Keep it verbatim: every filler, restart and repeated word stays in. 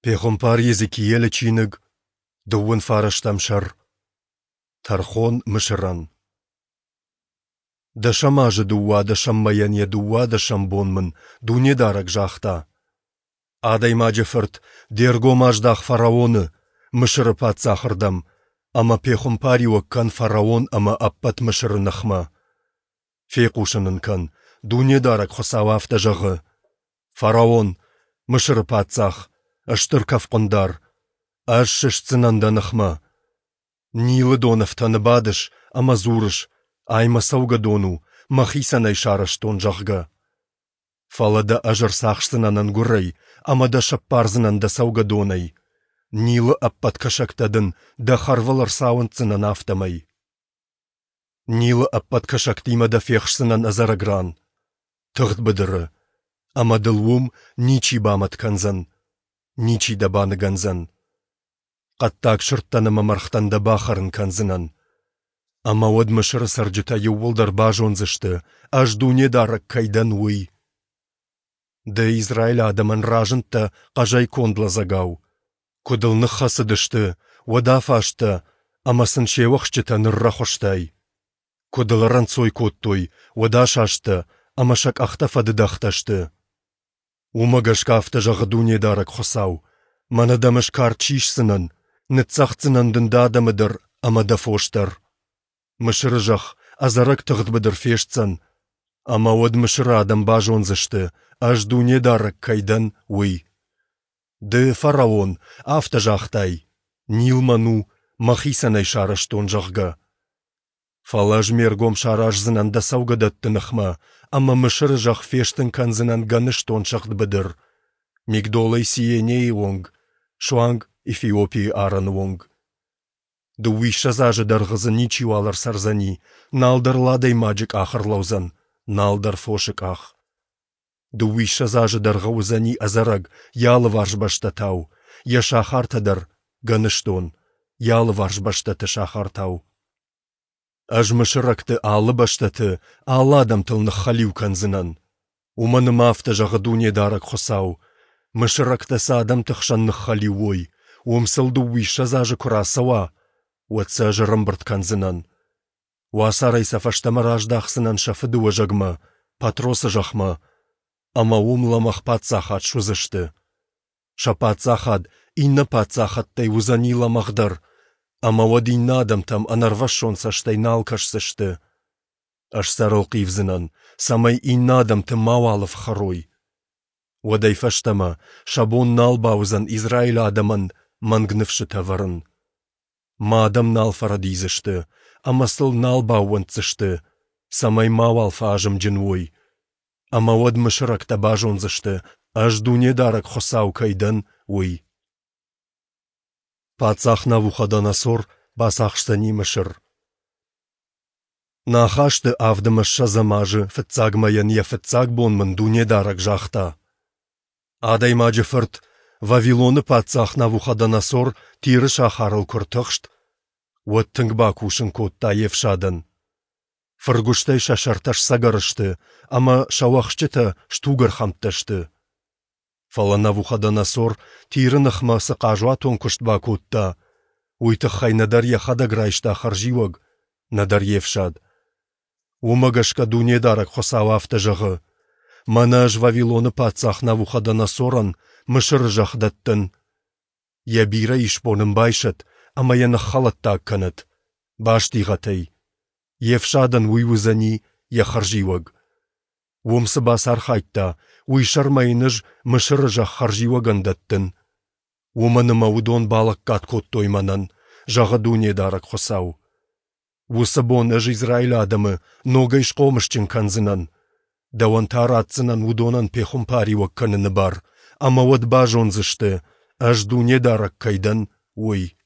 Пехуымпар Йезекиелы чиныг, дыууын фарӕстӕм сӕр. Тӕрхон Мысырӕн. Дӕсӕм азы дыууадӕсӕм мӕйӕн йӕ дыууадӕсӕм бон мын Дунедарӕг загъта: Адӕймаджы фырт, де ргом аздах фараоны, Мысыры паддзахы рдӕм, ӕмӕ пехуымпариуӕг кӕн фараон ӕмӕ ӕппӕт Мысыры ныхмӕ. Фехъусын ын кӕн, Дунедарӕг Хуыцау афтӕ зӕгъы: Фараон, Мысыры паддзах, стыр кӕфхъуындар, ӕз сыстдзынӕн дӕ ныхмӕ. Нилы донӕфтӕны бадыс ӕмӕ дзурыс, ай мӕ цӕугӕдон у, мӕхицӕн ӕй сарӕзтон, зӕгъгӕ. Фӕлӕ дӕ ӕз ӕрцахсдзынӕн ӕнгуырӕй ӕмӕ дӕ сӕппардзынӕн дӕ цӕугӕдонӕй, Нилы ӕппӕт кӕсӕгтӕ дын дӕ хӕрвыл ӕрцауындздзынӕн афтӕмӕй. Нилы ӕппӕт кӕсӕгтимӕ дӕ фехсдзынӕн ӕдзӕрӕг ран, тыгъд быдыры, ӕмӕ дыл уым ничи бамӕт кӕндзӕн, ничи дӕ баныгӕндзӕн. Хъӕддаг сырдтӕн ӕмӕ мӕргътӕн дӕ бахӕрын кӕндзынӕн. Ӕмӕ уӕд Мысыры цӕрджытӕ иууылдӕр базондзысты, ӕз Дунедарӕг кӕй дӕн, уый. Ды Израилы адӕмӕн разындтӕ хъӕзӕй конд лӕдзӕгау. Куы дыл ныххӕцыдысты, уӕд афазтӕ ӕмӕ сын се уӕхсчытӕ ныррӕхуыстай. Куы дыл ӕрӕнцой кодтой, уӕд асасттӕ ӕмӕ сӕ къӕхтӕ фӕдыдӕгътӕ сты. Уымӕ гӕсгӕ афтӕ зӕгъы Дунедарӕг Хуыцау: Мӕнӕ дӕм ӕз кард сисдзынӕн, ныццӕгъддзынӕн дын дӕ адӕмы дӕр ӕмӕ дӕ фос дӕр. Мысыры зӕхх ӕдзӕрӕг тыгъд быдыр фестдзӕн, ӕмӕ уӕд Мысыры адӕм базондзысты, ӕз Дунедарӕг кӕй дӕн, уый. Ды, фараон, афтӕ загътай, Нил мӕн у, мӕхицӕн ӕй сарӕзтон, зӕгъгӕ. Фӕлӕ ӕз ме ргом сараздзынӕн дӕ цӕугӕдӕтты ныхмӕ ӕмӕ Мысыры зӕхх фестын кӕндзынӕн гӕныстон сыгъд быдыр, Мигдолӕй Сиенейы онг, суанг Эфиопийы арӕны онг. Дыууиссӕдз азы дӕргъы дзы ничиуал ӕрцӕрдзӕни, нал дӕр ыл адӕймаджы къах ӕрлӕудзӕн, нал дӕр фосы къах. Дыууиссӕдз азы дӕргъы уыдзӕни ӕдзӕрӕг йӕ алыварс бӕстӕтау, йӕ сахартӕ дӕр гӕныстон, йӕ алыварс бӕстӕты сахартау. Ӕз мысырӕгты алы бӕстӕты, алы адӕмтыл ныххӕлиу кӕндзынӕн. Уымӕн ӕмӕ афтӕ зӕгъы Дунедарӕг Хуыцау: Мысырӕгтӕ цы адӕмты хсӕн ныххӕлиу уой, уым сыл дыууиссӕдз азы куы рацӕуа, уӕд сӕ ӕз ӕрӕмбырд кӕндзынӕн. Уацарӕй сӕ фӕстӕмӕ раздахдзынӕн сӕ фыдыуӕзӕгмӕ, Патросы зӕхмӕ, ӕмӕ уым лӕмӕгъ паддзахад суыдзысты. Сӕ паддзахад иннӕ паддзахӕдтӕй уыдзӕни лӕмӕгъдӕр, ӕмӕ уӕд иннӕ адӕмтӕм ӕнӕрвӕссон цӕстӕй нал кӕсдзысты. Ӕз сӕ ӕрӕлхъивдзынӕн, цӕмӕй иннӕ адӕмты мауал ӕфхӕрой. Уӕдӕй фӕстӕмӕ сӕ бон нал бауыдзӕн Израилы адӕмӕн мӕнг ныфсытӕ вӕрын. Мӕ адӕм нал фӕрӕдидзысты ӕмӕ сыл нал баууӕнддзысты, цӕмӕй мауал фӕазымджын уой. Ӕмӕ уӕд мысырӕгтӕ базондзысты, ӕз Дунедарӕг Хуыцау кӕй дӕн, уый. Паддзах Навуходоносор бацахсдзӕни Мысыр. Нӕ ахӕсты авд ӕмӕ ссӕдзӕм азы фыццаг мӕйӕн йӕ фыццаг бон мын Дунедарӕг загъта: Адӕймаджы фырт, Вавилоны паддзах Навуходоносор Тиры сахарыл куы ртыхст, уӕд тынг бакусын кодта йе фсадӕн. Фыргуыстӕй сӕ сӕртӕ сцӕгӕр сты ӕмӕ сӕ уӕхсчытӕ стугӕрхӕмттӕ сты. Фӕлӕ Навуходоносор Тиры ныхмӕ цы хъазуатон куыст бакодта, уый тыххӕй нӕдӕр йӕхӕдӕг райста хӕрзиуӕг, нӕдӕр йе фсад. Уымӕ гӕсгӕ Дунедарӕг Хуыцау афтӕ зӕгъы: Мӕнӕ ӕз Вавилоны паддзах Навуходоносорӕн Мысыры зӕхх дӕттын. Йӕ бирӕ исбон ын байсӕт ӕмӕ йӕ ныххӕлӕттаг кӕнӕт, бастигъӕт ӕй. Йе фсадӕн уый уыдзӕни йӕ хӕрзиуӕг. Уым цы бацархайдта, уый сӕрмӕ йын ӕз Мысыры зӕхх хӕрзиуӕгӕн дӕттын. Уымӕн ӕмӕ уыдон балӕггад кодтой мӕнӕн, зӕгъы Дунедарӕг Хуыцау. Уыцы бон ӕз Израилы адӕмы ногӕй схъомысджын кӕндзынӕн. Дӕуӕн та ратдзынӕн уыдонӕн пехуымпариуӕг кӕныны бар, ӕмӕ уӕд базондзысты, ӕз Дунедарӕг кӕй дӕн, уый.